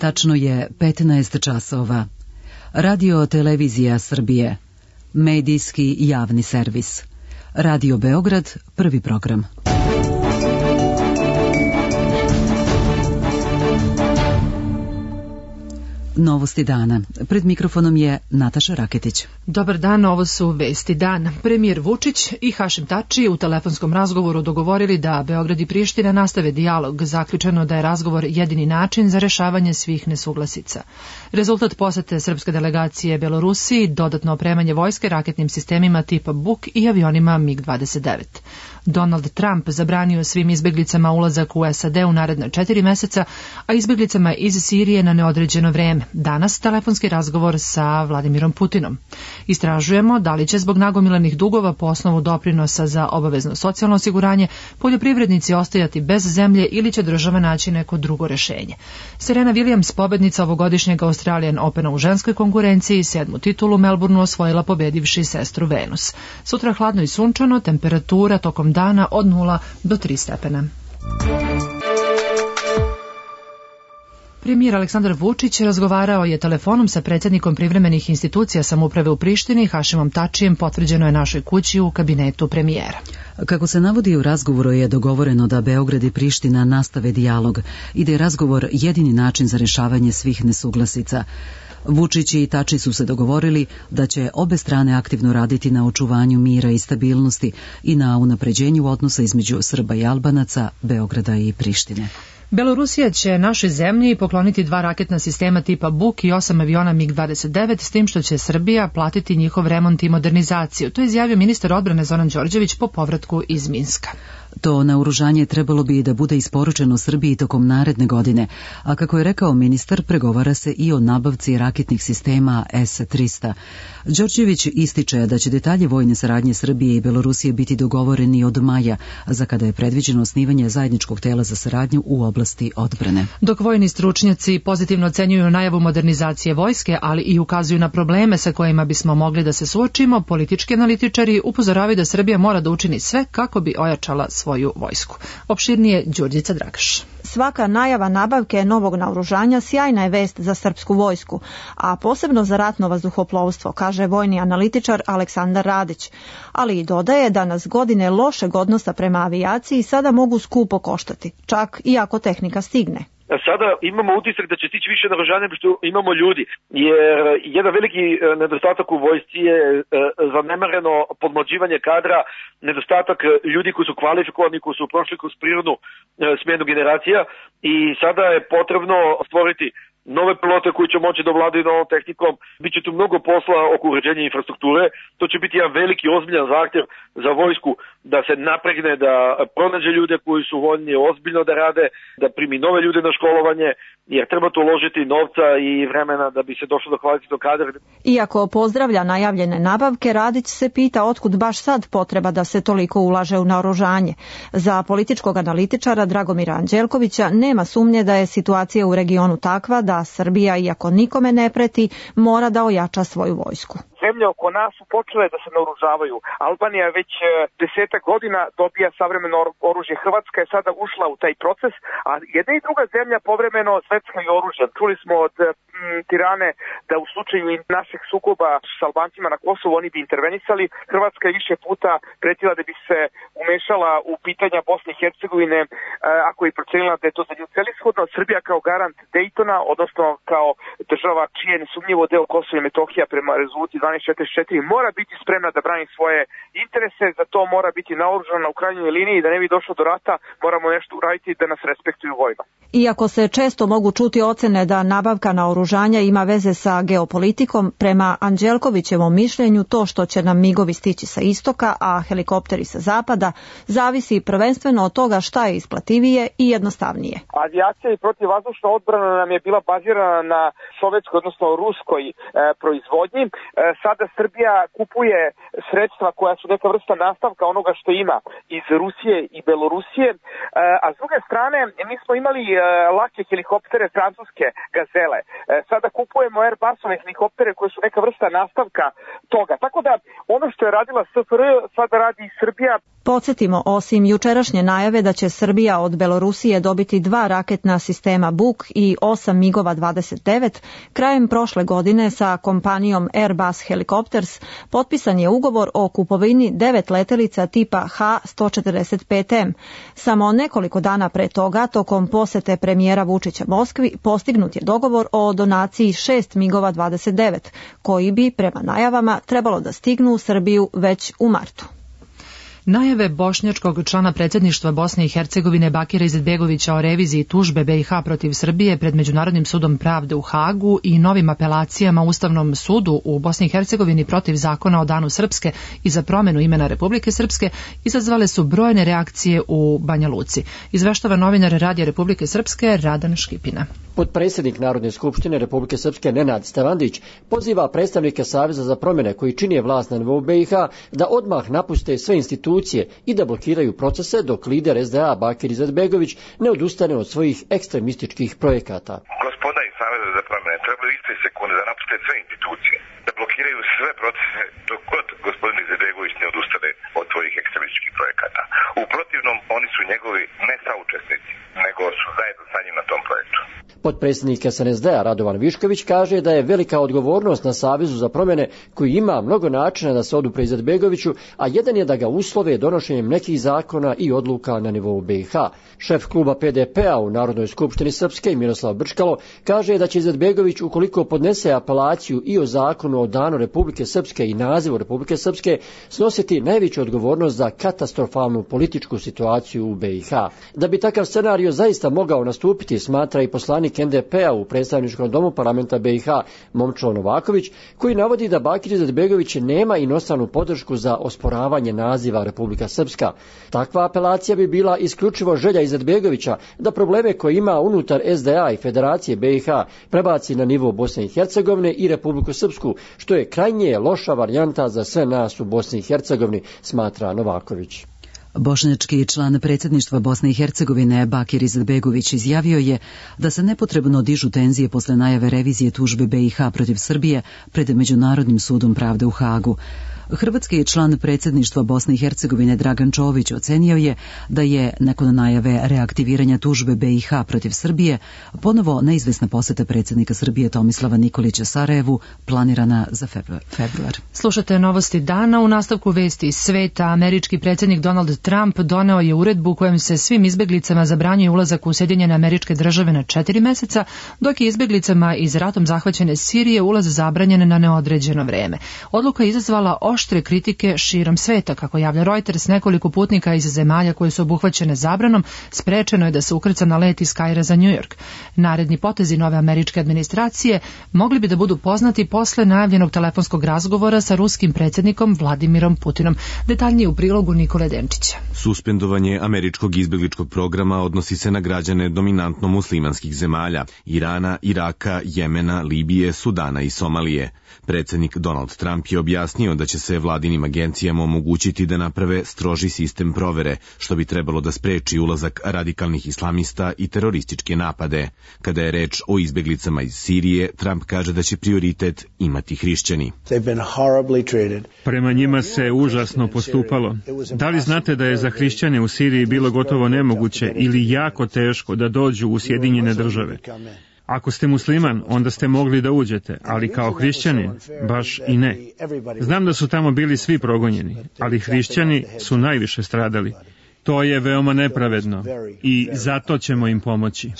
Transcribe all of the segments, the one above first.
Tačno je 15 časova. Radio Televizija Srbije. Medijski javni servis. Radio Beograd, prvi program. Novosti dana. Pred mikrofonom je Nataša Raketić. Dobar dan, ovo su vesti dana. Premijer Vučić i Hašim Tači u telefonskom razgovoru dogovorili da Beograd i Priština nastave dijalog. Zaključeno da je razgovor jedini način za rešavanje svih nesuglasica. Rezultat posete srpske delegacije Belorusiji, dodatno opremanje vojske raketnim sistemima tipa Buk i avionima MiG-29. Donald Trump zabranio svim izbeglicama ulazak u SAD u naredna 4 meseca, a izbeglicama iz Sirije na neodređeno vreme. Danas telefonski razgovor sa Vladimirom Putinom. Istražujemo da li će zbog nagomilanih dugova po osnovu doprinosa za obavezno socijalno osiguranje poljoprivrednici ostajati bez zemlje ili će država naći neko drugo rešenje. Serena Williams, pobednica ovogodišnjeg Australian Opena u ženskoj konkurenciji, 7. titulu u Melbourneu osvojila pobedivši sestru Venus. Sutra hladno i sunčano, temperatura tokom dana od 0 do 3 stepena. Premijer Aleksandar Vučić razgovarao je telefonom sa predsjednikom privremenih institucija samouprave u Prištini, Hašimom Tačijem, potvrđeno je našoj kući u kabinetu premijera. Kako se navodi u razgovoru je dogovoreno da Beograd i Priština nastave dijalog i da je razgovor jedini način za rešavanje svih nesuglasica. Vučić i Tači su se dogovorili da će obe strane aktivno raditi na očuvanju mira i stabilnosti i na unapređenju odnosa između Srba i Albanaca, Beograda i Prištine. Belorusija će našoj zemlji pokloniti 2 raketna sistema tipa Buk i 8 aviona MiG-29, s tim što će Srbija platiti njihov remont i modernizaciju. To je izjavio ministar odbrane Zoran Đorđević po povratku iz Minska. To naoružanje trebalo bi da bude isporučeno Srbiji tokom naredne godine, a kako je rekao ministar, pregovara se i o nabavci raketnih sistema S-300. Đorđević ističe da će detalje vojne saradnje Srbije i Belorusije biti dogovoreni od maja, za kada je predviđeno osnivanje zajedničkog tela za saradnju u oblasti odbrane. Dok vojni stručnjaci pozitivno ocenjuju najavu modernizacije vojske, ali i ukazuju na probleme sa kojima bismo mogli da se suočimo, politički analitičari upozoravaju da Srbija mora da učini sve kako bi ojačala svoju vojsku. Opširnije Đurđica Dragaš. Svaka najava nabavke novog naoružanja sjajna je vest za srpsku vojsku, a posebno za ratno vazduhoplovstvo, kaže vojni analitičar Aleksandar Radić. Ali i dodaje da nas godine lošeg odnosa prema avijaciji sada mogu skupo koštati, čak i ako tehnika stigne. Sada imamo utisak da će stići više naoružanja nego što imamo ljudi, jer jedan veliki nedostatak u vojsci je zanemareno podmlađivanje kadra, nedostatak ljudi koji su kvalifikovani, koji su prošli kroz prirodnu smjenu generacija i sada je potrebno stvoriti nove pilote koji će moći da vladaju novom tehnikom. Biće tu mnogo posla oko uređenja infrastrukture. To će biti jedan veliki ozbiljan zahtjev za vojsku da se napregne, da pronađe ljude koji su voljni ozbiljno da rade, da primi nove ljude na školovanje, jer treba tu uložiti novca i vremena da bi se došlo do kvalitetnog kadra. Iako pozdravlja najavljene nabavke, Radić se pita otkud baš sad potreba da se toliko ulaže u naoružanje. Za političkog analitičara Dragomira Anđelkovića nema sumnje da je situacija u regionu takva da Srbija, iako nikome ne preti, mora da ojača svoju vojsku. Zemlje oko nas su počele da se naoružavaju. Albanija već 10 godina dobija savremeno oružje. Hrvatska je sada ušla u taj proces, a jedna i druga zemlja povremeno sveckaju oružje. Čuli smo od Tirane da u slučaju naših sukoba s Albancima na Kosovu oni bi intervenisali. Hrvatska je više puta pretila da bi se umešala u pitanja Bosne i Hercegovine ako je procenila da je to za nju celishodno. Srbija kao garant Dejtona, odnosno kao država čije nesumnjivo deo Kosova i Metohija prema rezoluciji 1244 mora biti spremna da brani svoje interese, za to mora biti naoružana u krajnjoj liniji, da ne bi došlo do rata, moramo nešto uraditi da nas respektuju vojno. Iako se često mogu čuti ocene da nabavka naoružanja ima veze sa geopolitikom, prema Anđelkovićevom mišljenju to što će nam migovi stići sa istoka, a helikopteri sa zapada, zavisi prvenstveno od toga šta je isplativije i jednostavnije. Avijacija i protivvazdušna odbrana nam je bila bazirana na sovjetskoj, odnosno ruskoj proizvodnji. sada Srbija kupuje sredstva koja su neka vrsta nastavka onoga što ima iz Rusije i Belorusije, a s druge strane mi smo imali lake helikoptere francuske Gazele. Sada kupujemo Airbusove helikoptere koje su neka vrsta nastavka toga. Tako da ono što je radila SFRJ sada radi i Srbija. Podsjetimo, osim jučerašnje najave da će Srbija od Belorusije dobiti 2 raketna sistema Buk i 8 MiG-ova 29, krajem prošle godine sa kompanijom Airbus Helicopters potpisan je ugovor o kupovini 9 letelica tipa H-145M. Samo nekoliko dana pre toga, tokom posete premijera Vučića Moskvi, postignut je dogovor o donaciji 6 MiG-ova 29, koji bi, prema najavama, trebalo da stignu u Srbiju već u martu. Najave bošnjačkog člana predsjedništva Bosne i Hercegovine Bakira Izetbegovića o reviziji tužbe BiH protiv Srbije pred Međunarodnim sudom pravde u Hagu i novim apelacijama Ustavnom sudu u Bosni i Hercegovini protiv zakona o Danu Srpske i za promjenu imena Republike Srpske izazvale su brojne reakcije u Banja Luci. Izveštava novinar Radija Republike Srpske Radan Škipina. Potpredsjednik Narodne skupštine Republike Srpske Nenad Stevandić poziva predstavnike Saveza za promjene koji čine vlast na nivou BiH da odmah napuste sve institucije i da blokiraju procese dok lider SDA Bakir Izetbegović ne odustane od svojih ekstremističkih projekata. Gospoda iz Saveza za promjene trebaju iste sekunde da napuste sve institucije, da blokiraju sve procese dok god gospodin Izetbegović ne odustane od svojih ekstremističkih projekata. U protivnom, oni su njegovi ne saučesnici, nego su zajedno sa njim na tom projektu. Potpredsjednik SNSD-a Radovan Višković kaže da je velika odgovornost na Savezu za promjene koji ima mnogo načina da se odupre Izetbegoviću, a jedan je da ga uslove donošenjem nekih zakona i odluka na nivou BiH. Šef kluba PDP-a u Narodnoj skupštini Srpske Miroslav Brčkalo kaže da će Izetbegović, ukoliko podnese apelaciju i o zakonu o Danu Republike Srpske i nazivu Republike Srpske, snositi najveću odgovornost za katastrofalnu političku situaciju u BiH. Da bi takav scenario zaista mogao nastupiti, smatra i poslanik NDP-a u predstavničkom domu parlamenta BiH Momčilo Novaković, koji navodi da Bakir Izetbegović nema inostranu podršku za osporavanje naziva Republika Srpska. Takva apelacija bi bila isključivo želja Izetbegovića da probleme koje ima unutar SDA i Federacije BiH prebaci na nivo Bosne i Hercegovine i Republiku Srpsku, što je krajnje loša varijanta za sve nas u Bosni i Hercegovini, smatra Novaković. Bošnjački član predsjedništva Bosne i Hercegovine Bakir Izetbegović izjavio je da se nepotrebno dižu tenzije posle najave revizije tužbe BiH protiv Srbije pred Međunarodnim sudom pravde u Hagu. Hrvatski član predsjedništva Bosne i Hercegovine Dragan Čović ocenio je da je nakon najave reaktiviranja tužbe BiH protiv Srbije ponovo neizvesna poseta predsjednika Srbije Tomislava Nikolića Sarajevu planirana za februar. Slušate novosti dana. U nastavku vesti iz sveta, američki predsjednik Donald Trump doneo je uredbu kojom se svim izbjeglicama zabranjuje ulazak u Sjedinjene Američke Države na 4 mjeseca, dok je izbjeglicama iz ratom zahvaćene Sirije ulaz zabranjen na neodređeno vrijeme. Odluka je izazvala oštre kritike širom sveta. Kako javlja Reuters, nekoliko putnika iz zemalja koje su obuhvaćene zabranom sprečeno je da se ukrca na let iz Kaira za New York. Naredni potezi nove američke administracije mogli bi da budu poznati posle najavljenog telefonskog razgovora sa ruskim predsjednikom Vladimirom Putinom. Detaljnije u prilogu Nikole Denčića. Suspendovanje američkog izbjegličkog programa odnosi se na građane dominantno muslimanskih zemalja, Irana, Iraka, Jemena, Libije, Sudana i Somalije. Predsjednik Donald Trump je objasnio da će se vladinim agencijama omogućiti da naprave stroži sistem provere, što bi trebalo da spreči ulazak radikalnih islamista i terorističke napade. Kada je reč o izbjeglicama iz Sirije, Trump kaže da će prioritet imati hrišćani. Prema njima se užasno postupalo. Da li znate da je za hrišćane u Siriji bilo gotovo nemoguće ili jako teško da dođu u Sjedinjene Države? Ako ste musliman, onda ste mogli da uđete, ali kao hrišćanin, baš i ne. Znam da su tamo bili svi progonjeni, ali hrišćani su najviše stradali. To je veoma nepravedno i zato ćemo im pomoći.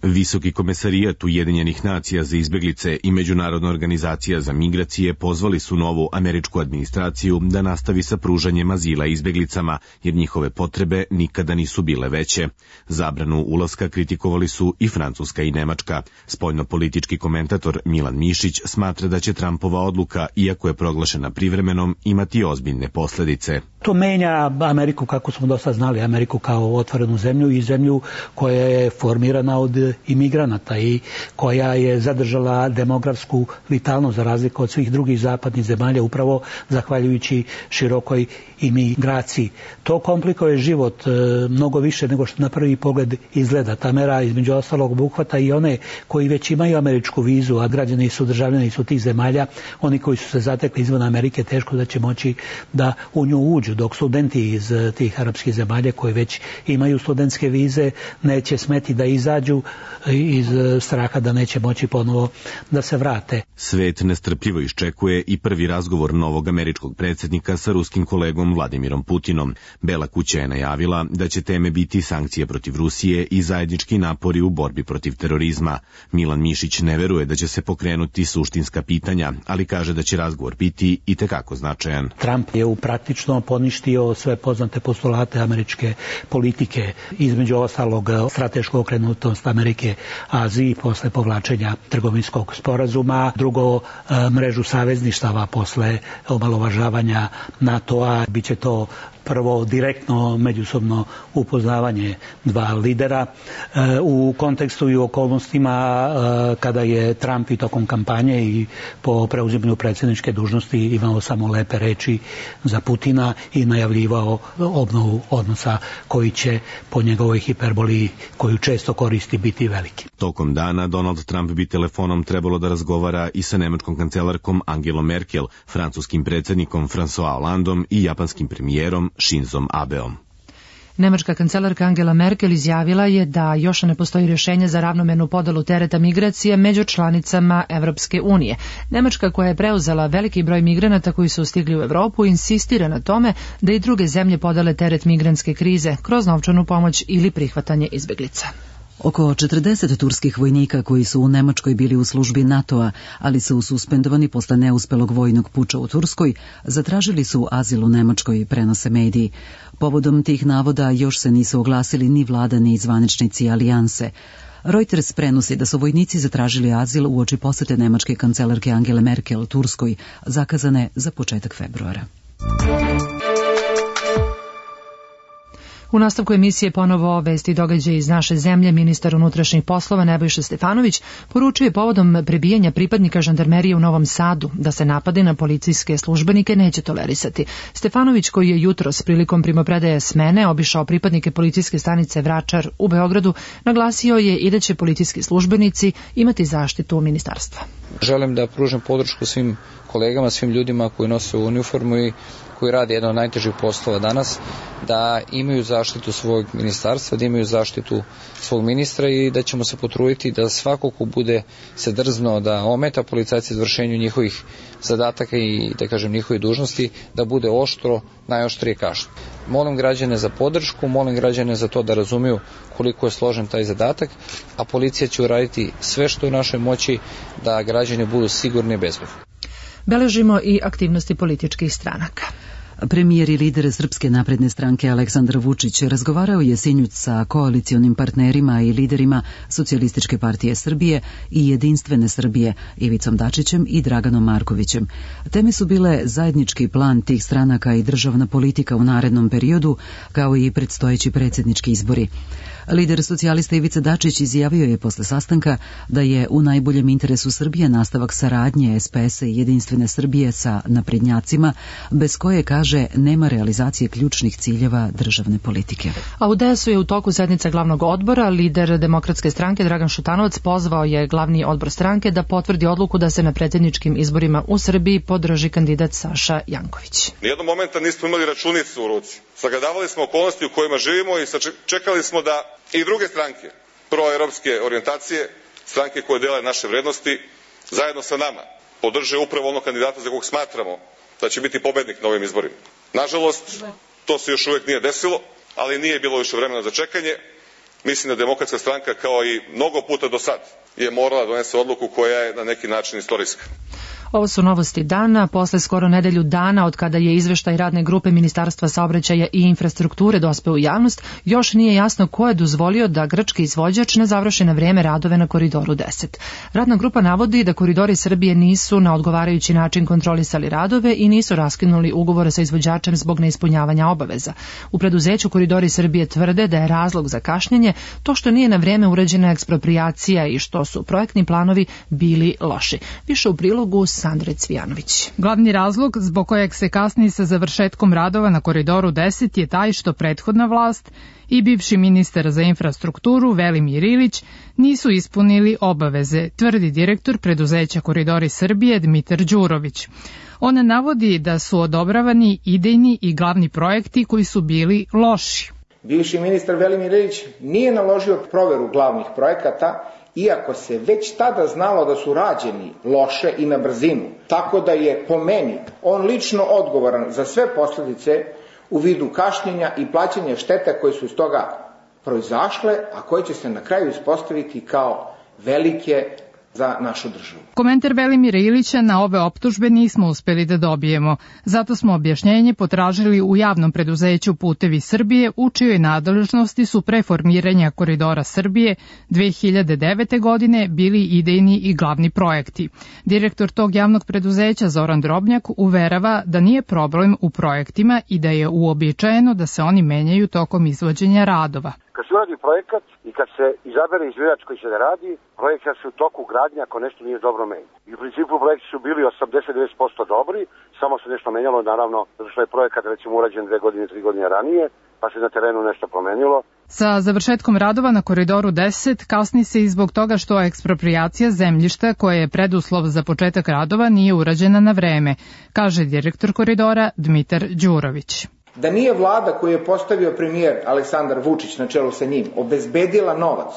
Visoki komesarijat Ujedinjenih nacija za izbjeglice i Međunarodna organizacija za migracije pozvali su novu američku administraciju da nastavi sa pružanjem azila izbjeglicama, jer njihove potrebe nikada nisu bile veće. Zabranu ulaska kritikovali su i Francuska i Nemačka. Spoljnopolitički komentator Milan Mišić smatra da će Trumpova odluka, iako je proglašena privremenom, imati ozbiljne posljedice. To menja Ameriku kako smo dosta znali, Ameriku kao otvorenu zemlju i zemlju koja je formirana od imigranata i koja je zadržala demografsku vitalnost za razliku od svih drugih zapadnih zemalja upravo zahvaljujući širokoj imigraciji. To komplikuje život mnogo više nego što na prvi pogled izgleda. Ta mera između ostalog obuhvata i one koji već imaju američku vizu, a građani su državljani su tih zemalja, oni koji su se zatekli izvan Amerike teško da će moći da u nju uđu, dok studenti iz tih arapskih zemalja koji već imaju studentske vize neće smeti da izađu iz straha da neće moći ponovo da se vrate. Svet nestrpljivo iščekuje i prvi razgovor novog američkog predsjednika sa ruskim kolegom Vladimirom Putinom. Bela kuća je najavila da će teme biti sankcije protiv Rusije i zajednički napori u borbi protiv terorizma. Milan Mišić ne veruje da će se pokrenuti suštinska pitanja, ali kaže da će razgovor biti itekako značajan. Trump je praktično poništio sve poznate postulate američke politike, između ostalog stratešku okrenutost Amerike Aziji posle povlačenja trgovinskog sporazuma, drugo mrežu savezništava posle omalovažavanja NATO-a, biće to prvo direktno međusobno upoznavanje dva lidera u kontekstu i okolnostima kada je Trump i tokom kampanje i po preuzimanju predsjedničke dužnosti imao samo lepe reči za Putina i najavljivao obnovu odnosa koji će po njegovoj hiperboli koju često koristi biti veliki. Tokom dana Donald Trump bi telefonom trebalo da razgovara i sa nemačkom kancelarkom Angelom Merkel, francuskim predsjednikom François Hollandom i japanskim premijerom Shinzom Abeom. Nemačka kancelarka Angela Merkel izjavila je da još ne postoji rješenje za ravnomernu podelu tereta migracije među članicama Evropske unije. Nemačka, koja je preuzela veliki broj migranata koji su stigli u Evropu, insistira na tome da i druge zemlje podele teret migrantske krize kroz novčanu pomoć ili prihvatanje izbjeglica. Oko 40 turskih vojnika koji su u Nemačkoj bili u službi NATO-a, ali su suspendovani posle neuspelog vojnog puča u Turskoj, zatražili su azil u Nemačkoj, prenose mediji. Povodom tih navoda još se nisu oglasili ni vlada ni zvaničnici alijanse. Reuters prenosi da su vojnici zatražili azil uoči posete nemačke kancelarke Angele Merkel Turskoj, zakazane za početak februara. U nastavku emisije ponovo vesti i događaje iz naše zemlje. Ministar unutrašnjih poslova Nebojša Stefanović poručio je povodom prebijanja pripadnika žandarmerije u Novom Sadu da se napadi na policijske službenike neće tolerisati. Stefanović, koji je jutros prilikom primopredaje smene obišao pripadnike policijske stanice Vračar u Beogradu, naglasio je i da će policijski službenici imati zaštitu ministarstva. Želim da pružim podršku svim kolegama, svim ljudima koji nose uniformu i koji rade jedan od najtežih poslova danas, da imaju zaštitu svog ministarstva, da imaju zaštitu svog ministra i da ćemo se potruditi da svako ko bude se drzno da ometa policajce izvršenju njihovih zadataka i da kažem njihovih dužnosti, da bude oštro, najoštrije kažnjen. Molim građane za podršku, molim građane za to da razumiju koliko je složen taj zadatak, a policija će uraditi sve što je u našoj moći da građani budu sigurni i bezbedni. Beležimo i aktivnosti političkih stranaka. Premijer i lider Srpske napredne stranke Aleksandar Vučić razgovarao je sinoć sa koalicionim partnerima i liderima Socijalističke partije Srbije i Jedinstvene Srbije Ivicom Dačićem i Draganom Markovićem. Teme su bile zajednički plan tih stranaka i državna politika u narednom periodu, kao i predstojeći predsjednički izbori. Lider socijalista Ivica Dačić izjavio je posle sastanka da je u najboljem interesu Srbije nastavak saradnje SPS-a i Jedinstvene Srbije sa naprednjacima, bez koje, kaže, nema realizacije ključnih ciljeva državne politike. A u DS-u je u toku sednica glavnog odbora. Lider Demokratske stranke Dragan Šutanovac pozvao je glavni odbor stranke da potvrdi odluku da se na predsjedničkim izborima u Srbiji podrži kandidat Saša Janković. Nijednog momenta nismo imali računicu u ruci. Sagledavali smo okolnosti u kojima živimo i čekali smo da i druge stranke proeuropske orijentacije, stranke koje dele naše vrednosti, zajedno sa nama podrže upravo onog kandidata za kog smatramo da će biti pobednik na ovim izborima. Nažalost, to se još uvijek nije desilo, ali nije bilo više vremena za čekanje. Mislim da Demokratska stranka, kao i mnogo puta do sad, je morala donese odluku koja je na neki način istorijska. Ovo su novosti dana. Posle skoro nedelju dana od kada je izveštaj radne grupe Ministarstva saobraćaja i infrastrukture dospeo u javnost, još nije jasno ko je dozvolio da grčki izvođač ne završi na vreme radove na Koridoru 10. Radna grupa navodi da Koridori Srbije nisu na odgovarajući način kontrolisali radove i nisu raskinuli ugovore sa izvođačem zbog neispunjavanja obaveza. U preduzeću Koridori Srbije tvrde da je razlog za kašnjenje to što nije na vreme urađena eksproprijacija i što su projektni planovi bili loši. Više u prilogu Sandre Cvijanović. Glavni razlog zbog kojeg se kasni sa završetkom radova na Koridoru 10 je taj što prethodna vlast i bivši ministar za infrastrukturu Velimir Ilić nisu ispunili obaveze, tvrdi direktor preduzeća Koridori Srbije Dmitar Đurović. On navodi da su odobravani idejni i glavni projekti koji su bili loši. Bivši ministar Velimir Ilić nije naložio proveru glavnih projekata, iako se već tada znalo da su rađeni loše i na brzinu. Tako da je po meni on lično odgovoran za sve posljedice u vidu kašnjenja i plaćanja štete koje su iz toga proizašle, a koje će se na kraju ispostaviti kao velike za našu državu. Komentar Velimira Ilića na ove optužbe nismo uspeli da dobijemo. Zato smo objašnjenje potražili u javnom preduzeću Putevi Srbije, u čijoj nadležnosti su pre formiranja Koridora Srbije 2009. godine bili idejni i glavni projekti. Direktor tog javnog preduzeća Zoran Drobnjak uverava da nije problem u projektima i da je uobičajeno da se oni menjaju tokom izvođenja radova. Kad se uradi projekat i kad se izabere izvođač koji će da radi, projekat se u toku gradnje ako nešto nije dobro menja. I u principu projekti su bili 80-90% dobri, samo se nešto menjalo, naravno, zato što je projekat recimo urađen 2 godine, 3 godine ranije, pa se na terenu nešto promenilo. Sa završetkom radova na Koridoru 10 kasni se i zbog toga što eksproprijacija zemljišta koja je preduslov za početak radova nije urađena na vreme, kaže direktor Koridora Dmitar Đurović. Da nije vlada koju je postavio premijer Aleksandar Vučić na čelu sa njim obezbedila novac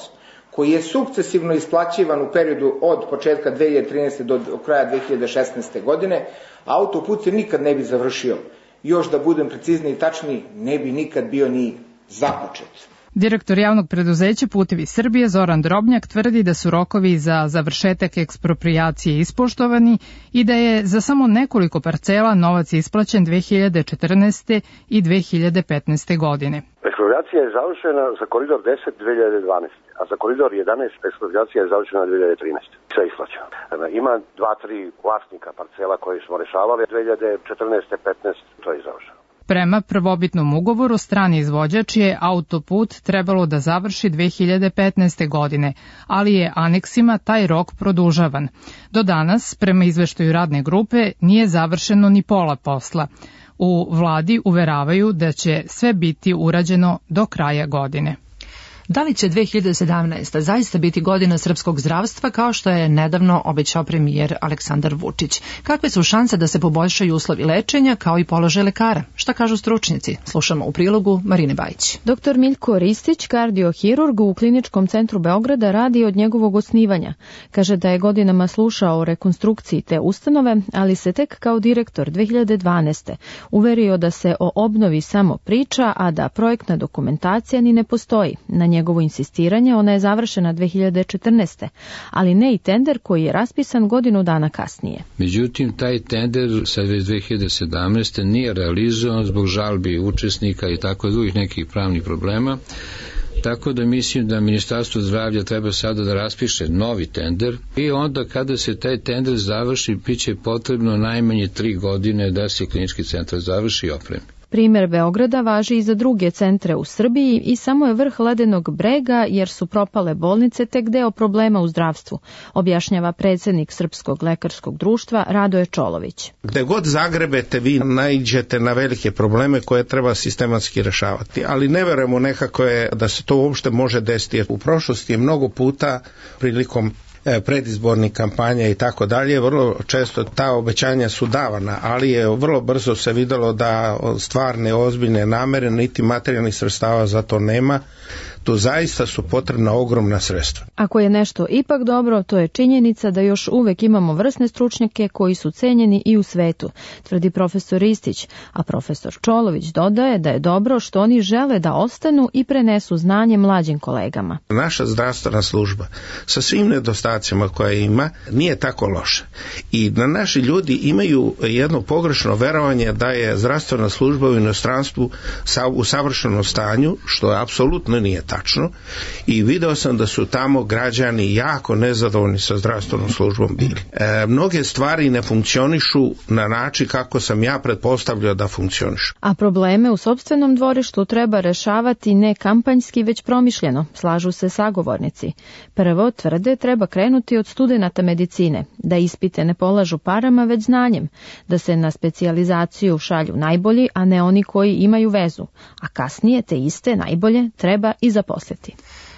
koji je sukcesivno isplaćivan u periodu od početka 2013. do kraja 2016. godine, autoput se nikad ne bi završio. Još da budem precizniji i tačniji, ne bi nikad bio ni započet. Direktor javnog preduzeća Putevi Srbije Zoran Drobnjak tvrdi da su rokovi za završetak eksproprijacije ispoštovani i da je za samo nekoliko parcela novac isplaćen 2014. i 2015. godine. Eksproprijacija je završena za koridor 10 2012, a za koridor 11 eksproprijacija je završena 2013. Sve isplaćeno. Ima 2-3 vlasnika parcela koje smo rešavali 2014. 15. to je završeno. Prema prvobitnom ugovoru, strani izvođač je autoput trebalo da završi 2015. godine, ali je aneksima taj rok produžavan. Do danas, prema izveštaju radne grupe, nije završeno ni pola posla. U vladi uveravaju da će sve biti urađeno do kraja godine. Da li će 2017. zaista biti godina srpskog zdravstva kao što je nedavno obećao premijer Aleksandar Vučić? Kakve su šanse da se poboljšaju uslovi lečenja kao i položaj lekara? Šta kažu stručnjaci? Slušamo u prilogu Marine Bajić. Dr. Miljko Ristić, kardiohirurg u Kliničkom centru Beograda, radi od njegovog osnivanja. Kaže da je godinama slušao o rekonstrukciji te ustanove, ali se tek kao direktor 2012. uverio da se o obnovi samo priča, a da projektna dokumentacija ni ne postoji. Na njegovo insistiranje ona je završena 2014. ali ne i tender koji je raspisan godinu dana kasnije. Međutim, taj tender sad već 2017. nije realizovan zbog žalbi učesnika i tako drugih nekih pravnih problema. Tako da mislim da Ministarstvo zdravlja treba sada da raspiše novi tender i onda kada se taj tender završi, bit će potrebno najmanje 3 godine da se klinički centar završi i opremi. Primer Beograda važi i za druge centre u Srbiji i samo je vrh ledenog brega jer su propale bolnice tek deo problema u zdravstvu, objašnjava predsjednik Srpskog lekarskog društva Radoje Čolović. Gde god zagrebete vi naiđete na velike probleme koje treba sistematski rešavati, ali ne verujemo nekako je da se to uopšte može desiti. U prošlosti je mnogo puta prilikom predizbornih kampanja i tako dalje, vrlo često ta obećanja su davana, ali je vrlo brzo se videlo da stvarne ozbiljne namere niti materijalnih sredstava za to nema, tu zaista su potrebna ogromna sredstva. Ako je nešto ipak dobro, to je činjenica da još uvek imamo vrsne stručnjake koji su cenjeni i u svetu, tvrdi profesor Ristić, a profesor Čolović dodaje da je dobro što oni žele da ostanu i prenesu znanje mlađim kolegama. Naša zdravstvena služba sa svim nedostacima koje ima nije tako loša. I da naši ljudi imaju jedno pogrešno verovanje da je zdravstvena služba u inostranstvu u savršenom stanju, što apsolutno nije tačno. I video sam da su tamo građani jako nezadovoljni sa zdravstvenom službom bili. Mnoge stvari ne funkcionišu na način kako sam ja pretpostavljao da funkcionišu. A probleme u sopstvenom dvorištu treba rešavati ne kampanjski, već promišljeno, slažu se sagovornici. Prvo, tvrde, treba krenuti od studenata medicine, da ispite ne polažu parama, već znanjem, da se na specijalizaciju šalju najbolji, a ne oni koji imaju vezu, a kasnije te iste najbolje treba i zaposliti.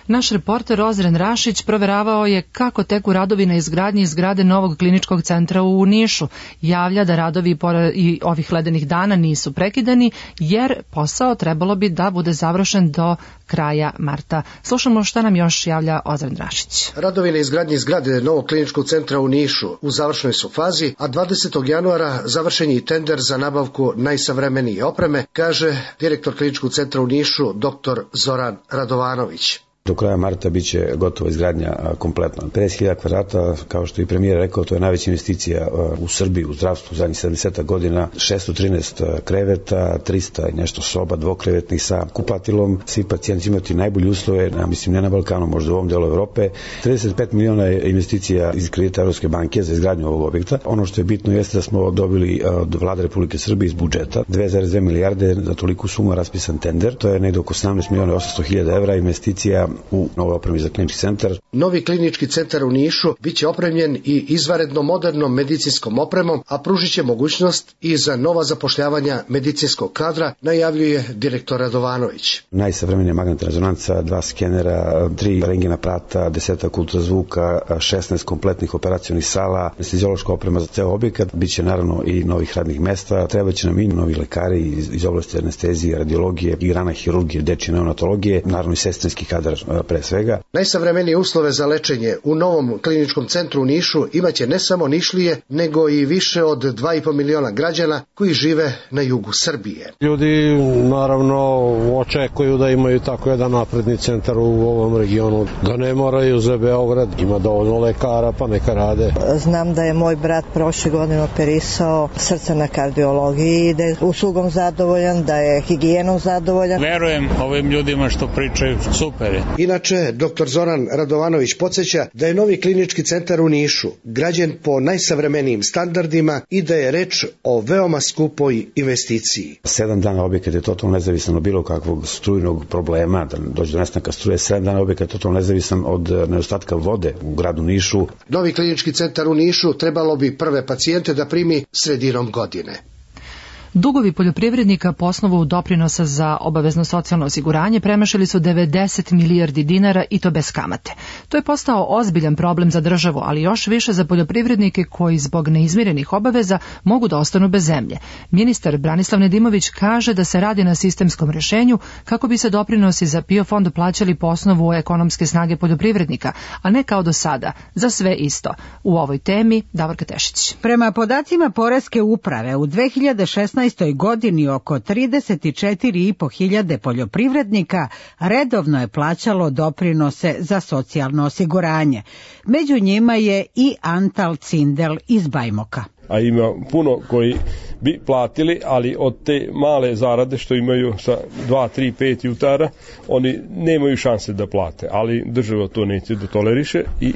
Naš reporter Ozren Rašić proveravao je kako teku radovi na izgradnji zgrade novog kliničkog centra u Nišu. Javlja da radovi i ovih ledenih dana nisu prekidani, jer posao trebalo bi da bude završen do kraja marta. Slušamo šta nam još javlja Ozren Rašić. Radovi na izgradnji zgrade novog kliničkog centra u Nišu u završnoj su fazi, a 20. januara završen je i tender za nabavku najsavremenije opreme, kaže direktor kliničkog centra u Nišu, dr. Zoran Radovanović. Do kraja marta biće gotova izgradnja kompletno. 50.000 kvadrata, kao što i premijer rekao, to je najveća investicija u Srbiji, u zdravstvu u zadnjih 70 godina. 613 kreveta, 300 i nešto soba, dvokrevetnih sa kupatilom. Svi pacijenti imati najbolje uslove, mislim ne na Balkanu, možda u ovom delu Evrope. 35 miliona investicija iz kredita Evropske banke za izgradnju ovog objekta. Ono što je bitno jeste da smo dobili od Vlade Republike Srbije iz budžeta 2,2 milijarde za toliku sumu raspisan tender. To je negde oko 17 miliona 800 hiljada evra investicija u novoj opremi za klinički centar. Novi klinički centar u Nišu biće opremljen i izvanredno modernom medicinskom opremom, a pružit će mogućnost i za nova zapošljavanja medicinskog kadra, najavljuje direktor Radovanović. Najsavremenija magnetna rezonanca, 2 skenera, 3 rengena aparata, 10 ultrazvuka, 16 kompletnih operacionih sala, anesteziološka oprema za ceo objekat, biće naravno i novih radnih mesta, trebaće nam i novi lekari iz oblasti anestezije, radiologije i grana hirurgije, dečje neonatologije, naravno i sestrinski kadar pre svega. Najsavremenije uslove za lečenje u novom kliničkom centru u Nišu imaće ne samo Nišlije, nego i više od 2,5 miliona građana koji žive na jugu Srbije. Ljudi naravno očekuju da imaju tako jedan napredni centar u ovom regionu, da ne moraju za Beograd, ima dovoljno lekara pa neka rade. Znam da je moj brat prošle godine operisao srca na kardiologiji, da je uslugom zadovoljan, da je higijenom zadovoljan. Verujem ovim ljudima što pričaju, super je. Inače, dr. Zoran Radovanović podsjeća da je novi klinički centar u Nišu građen po najsavremenijim standardima i da je reč o veoma skupoj investiciji. 7 dana objekat je totalno nezavisan od bilo kakvog strujnog problema, da dođe do nestanka struje. 7 dana objekat je totalno nezavisan od nedostatka vode u gradu Nišu. Novi klinički centar u Nišu trebalo bi prve pacijente da primi sredinom godine. Dugovi poljoprivrednika po osnovu doprinosa za obavezno socijalno osiguranje premašili su 90 milijardi dinara i to bez kamate. To je postao ozbiljan problem za državu, ali još više za poljoprivrednike koji zbog neizmirenih obaveza mogu da ostanu bez zemlje. Ministar Branislav Nedimović kaže da se radi na sistemskom rešenju kako bi se doprinosi za PIO fond plaćali po osnovu ekonomske snage poljoprivrednika, a ne kao do sada, za sve isto. U ovoj temi Davorka Tešić. Prema podacima Poreske uprave u 2016. godini oko 34.500 poljoprivrednika redovno je plaćalo doprinose za socijalno osiguranje. Među njima je i Antal Cindel iz Bajmoka. A ima puno koji bi platili, ali od te male zarade što imaju sa 2, 3, 5 jutara, oni nemaju šanse da plate, ali država to neće da toleriše i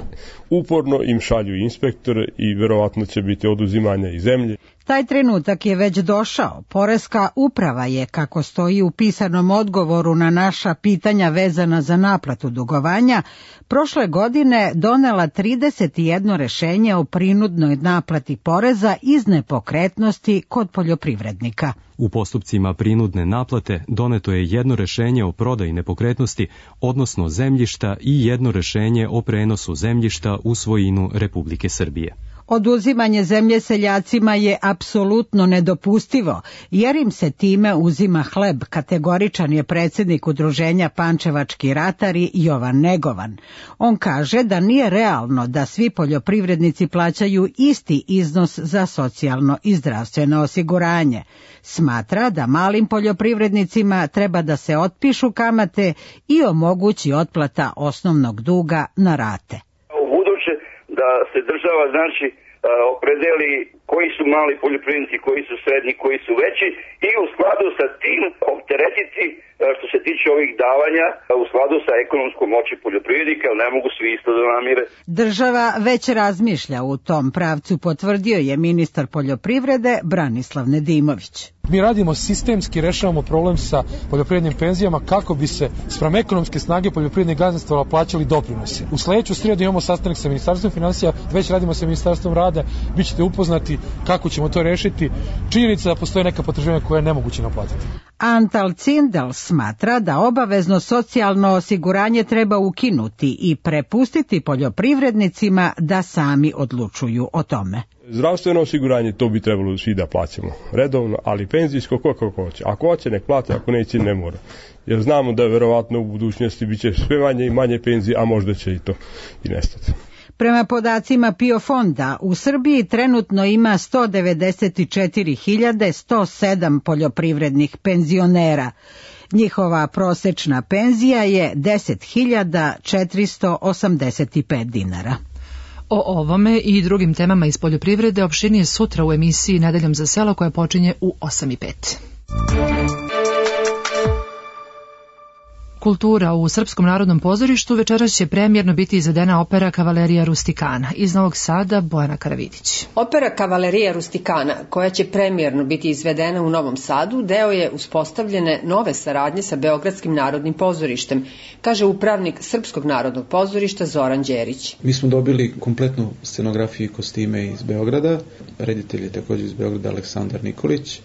uporno im šalju inspektore i verovatno će biti oduzimanja i zemlje. Taj trenutak je već došao. Poreska uprava je, kako stoji u pisanom odgovoru na naša pitanja vezana za naplatu dugovanja, prošle godine donela 31 rešenje o prinudnoj naplati poreza iz nepokretnosti kod poljoprivrednika. U postupcima prinudne naplate doneto je jedno rešenje o prodaji nepokretnosti, odnosno zemljišta, i jedno rešenje o prenosu zemljišta u svojinu Republike Srbije. Oduzimanje zemlje seljacima je apsolutno nedopustivo, jer im se time uzima hleb, kategoričan je predsjednik Udruženja Pančevački ratari Jovan Negovan. On kaže da nije realno da svi poljoprivrednici plaćaju isti iznos za socijalno i zdravstveno osiguranje. Smatra da malim poljoprivrednicima treba da se otpišu kamate i omogući otplata osnovnog duga na rate. Da se država opredeli koji su mali poljoprivrednici, koji su srednji, koji su veći i u skladu sa tim opteretiti što se tiče ovih davanja u skladu sa ekonomskom moći poljoprivrednika, jer ne mogu svi isto da namire. Država već razmišlja u tom pravcu, potvrdio je ministar poljoprivrede Branislav Nedimović. Mi radimo sistemski, rešavamo problem sa poljoprivrednim penzijama kako bi se spram ekonomske snage poljoprivrednih gazdinstava plaćali doprinosi. U sledeću srijedu imamo sastanak sa Ministarstvom finansija, već radimo sa Ministarstvom rada, bit ćete upoznati kako ćemo to rešiti. Činjenica da postoje neka potraživanja koje je nemoguće naplatiti. Antal Cindel smatra da obavezno socijalno osiguranje treba ukinuti i prepustiti poljoprivrednicima da sami odlučuju o tome. Zdravstveno osiguranje, to bi trebalo svi da plaćamo redovno, ali penzijsko kako hoće. Ako hoće, nek plati, ako neće, ne mora. Jer znamo da verovatno u budućnosti bit će sve manje i manje penzije, a možda će i to i nestati. Prema podacima PIO fonda, u Srbiji trenutno ima 194.107 poljoprivrednih penzionera. Njihova prosečna penzija je 10.485 dinara. O ovome i drugim temama iz poljoprivrede opširnije sutra u emisiji Nedeljom za selo koja počinje u 8:05. Kultura u Srpskom narodnom pozorištu večeras će premijerno biti izvedena opera Kavalerija Rustikana. Iz Novog Sada Bojana Karavidić. Opera Kavalerija Rustikana, koja će premijerno biti izvedena u Novom Sadu, deo je uspostavljene nove saradnje sa Beogradskim narodnim pozorištem, kaže upravnik Srpskog narodnog pozorišta Zoran Đerić. Mi smo dobili kompletnu scenografiju i kostime iz Beograda, reditelj je također iz Beograda Aleksandar Nikolić.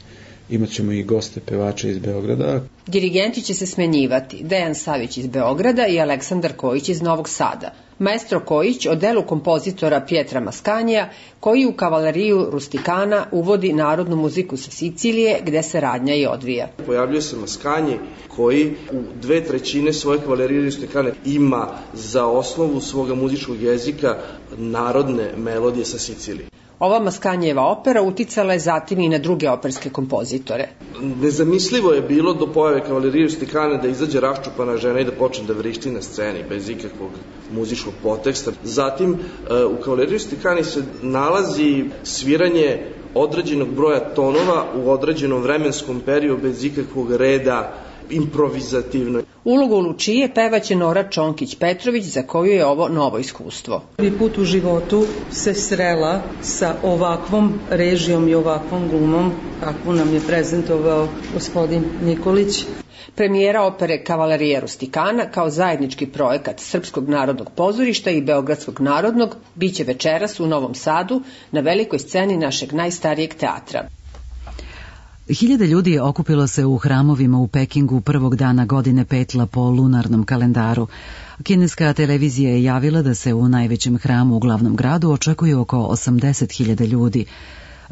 Imaćemo i goste pevače iz Beograda. Dirigenti će se smenjivati, Dejan Savić iz Beograda i Aleksandar Kojić iz Novog Sada. Maestro Kojić o delu kompozitora Pietra Maskanija, koji u Kavaleriju Rustikana uvodi narodnu muziku sa Sicilije, gde se radnja i odvija. Pojavljuje se Maskanji koji u 2/3 svoje Kavalerije Rustikane ima za osnovu svoga muzičkog jezika narodne melodije sa Sicilije. Ova Maskanjeva opera uticala je zatim i na druge operske kompozitore. Nezamislivo je bilo do pojave Kavalerije Rustikane da izađe raščupana žena i da počne da vrišti na sceni bez ikakvog muzičkog poteksta. Zatim u Kavaleriji Rustikani se nalazi sviranje određenog broja tonova u određenom vremenskom periodu bez ikakvog reda, improvizativno. Ulogu Lučije pevaće Nora Čonkić-Petrović, za koju je ovo novo iskustvo. Prvi put u životu se srela sa ovakvom režijom i ovakvom glumom, kakvu nam je prezentovao gospodin Nikolić. Premijera opere Kavalerija Rustikana kao zajednički projekat Srpskog narodnog pozorišta i Beogradskog narodnog biće večeras u Novom Sadu na velikoj sceni našeg najstarijeg teatra. Hiljade ljudi okupilo se u hramovima u Pekingu prvog dana godine petla po lunarnom kalendaru. Kineska televizija je javila da se u najvećem hramu u glavnom gradu očekuje oko 80.000 ljudi.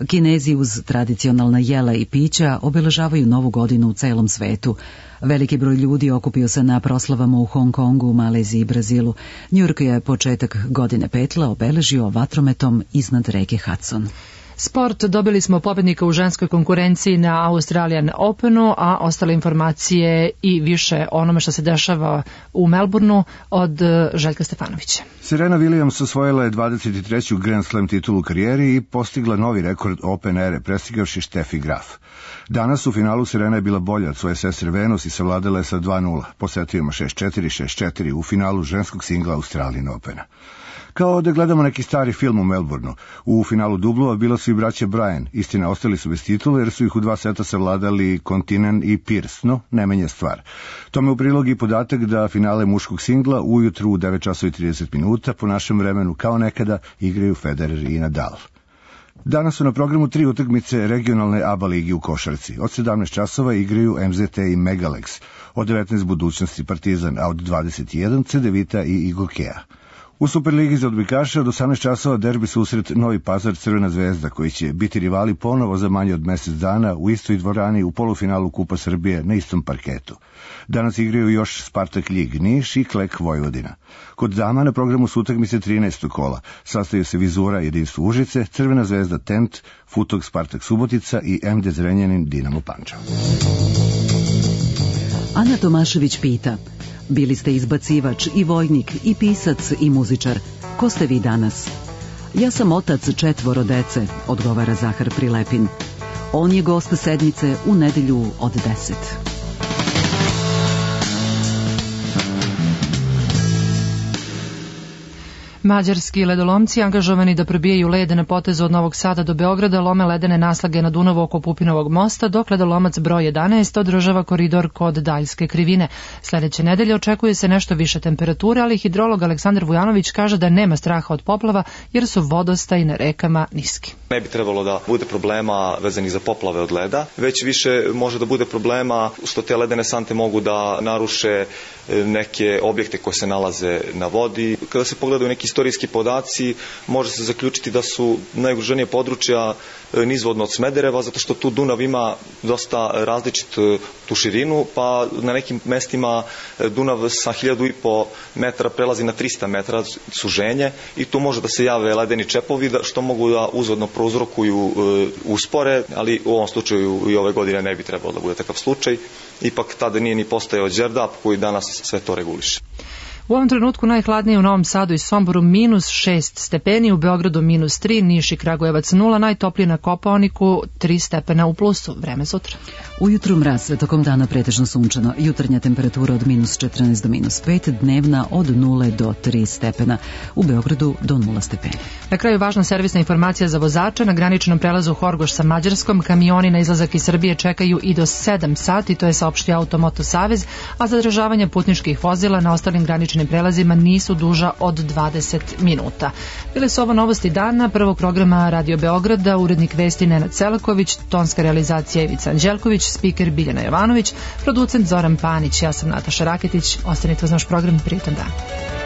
Kinezi uz tradicionalna jela i pića obeležavaju Novu godinu u celom svetu. Veliki broj ljudi okupio se na proslavama u Hong Kongu, Maleziji i Brazilu. Njujork je početak godine petla obeležio vatrometom iznad reke Hudson. Sport, dobili smo pobednika u ženskoj konkurenciji na Australian Openu, a ostale informacije i više onome što se dešava u Melbourneu od Željka Stefanovića. Serena Williams osvojila je 23. Grand Slam titulu u karijeri i postigla novi rekord Open ere, prestigavši Steffi Graf. Danas u finalu Serena je bila bolja od svoje sestre Venus i savladala je sa 2:0, po setovima 6-4, 6-4 u finalu ženskog singla Australian Opena. Kao da gledamo neki stari film u Melbourneu. U finalu dublova bila su i braća Bryan. Istina, ostali su bez titula jer su ih u 2 seta savladali Kontinen i Pierce, no ne menja stvar. Tome u prilog i podatak da finale muškog singla ujutru u 9:30 po našem vremenu kao nekada igraju Federer i Nadal. Danas su na programu 3 utakmice regionalne ABA ligi u košarci. Od 17 časova igraju MZT i Megalex, od 19 Budućnosti Partizan, a od 21 Cedevita i Igokea. U Superligi za odbojkaše od 18 časova derbi susret Novi Pazar Crvena zvezda, koji će biti rivali ponovo za manje od mesec dana u istoj dvorani u polufinalu Kupa Srbije na istom parketu. Danas igraju još Spartak Ljig Niš i Klek Vojvodina. Kod dama na programu su utakmice 13. kola. Sastaju se Vizura Jedinstvo Užice, Crvena zvezda Tent, Futog Spartak Subotica i MD Zrenjanin Dinamo Pančevo. Ana Tomašević pita: bili ste izbacivač i vojnik i pisac i muzičar. Ko ste vi danas? Ja sam otac 4 dece, odgovara Zahar Prilepin. On je gost sedmice u nedelju od 10. Mađarski ledolomci angažovani da probijaju led na potezu od Novog Sada do Beograda lome ledene naslage na Dunavu oko Pupinovog mosta, dok ledolomac broj 11 održava koridor kod Daljske krivine. Sledeće nedelje očekuje se nešto više temperature, ali hidrolog Aleksandar Vujanović kaže da nema straha od poplava jer su vodostaji na rekama niski. Ne bi trebalo da bude problema vezanih za poplave od leda, već više može da bude problema što te ledene sante mogu da naruše neke objekte koje se nalaze na vodi. Kada se pogledaju neki istorijski podaci, može se zaključiti da su najugroženije područja nizvodno od Smedereva, zato što tu Dunav ima dosta različitu tu širinu, pa na nekim mestima Dunav sa 1500 metara prelazi na 300 metara suženje i tu može da se jave ledeni čepovi, što mogu da uzvodno prouzrokuju uspore, ali u ovom slučaju i ove godine ne bi trebalo da bude takav slučaj. Ipak tada nije ni postojao Đerdap koji danas sve to reguliše. U ovom trenutku najhladnije u Novom Sadu i Somboru -6 stepeni, u Beogradu -3, Niš i Kragujevac 0, najtoplije na Kopaoniku 3 stepena u plusu. Vreme sutra. Ujutru mraz, tokom dana pretežno sunčano, jutarnja temperatura od -14 do -5, dnevna od 0 do 3 stepena, u Beogradu do 0 stepeni. Na kraju važna servisna informacija za vozača. Na graničnom prelazu Horgoš sa Mađarskom kamioni na izlazak iz Srbije čekaju i do 7 sati, to je saopštio Automoto Savez, a zadržavanje putničkih vozila na ostalim graničnim prelazima nisu duža od 20 minuta. Bile su ovo novosti dana, prvog programa Radio Beograda, urednik vesti Nenad Selaković, tonska realizacija Ivica Anđelković, spiker Biljana Jovanović, producent Zoran Panić, ja sam Nataša Raketić. Ostanite uz naš program, prijetan dan.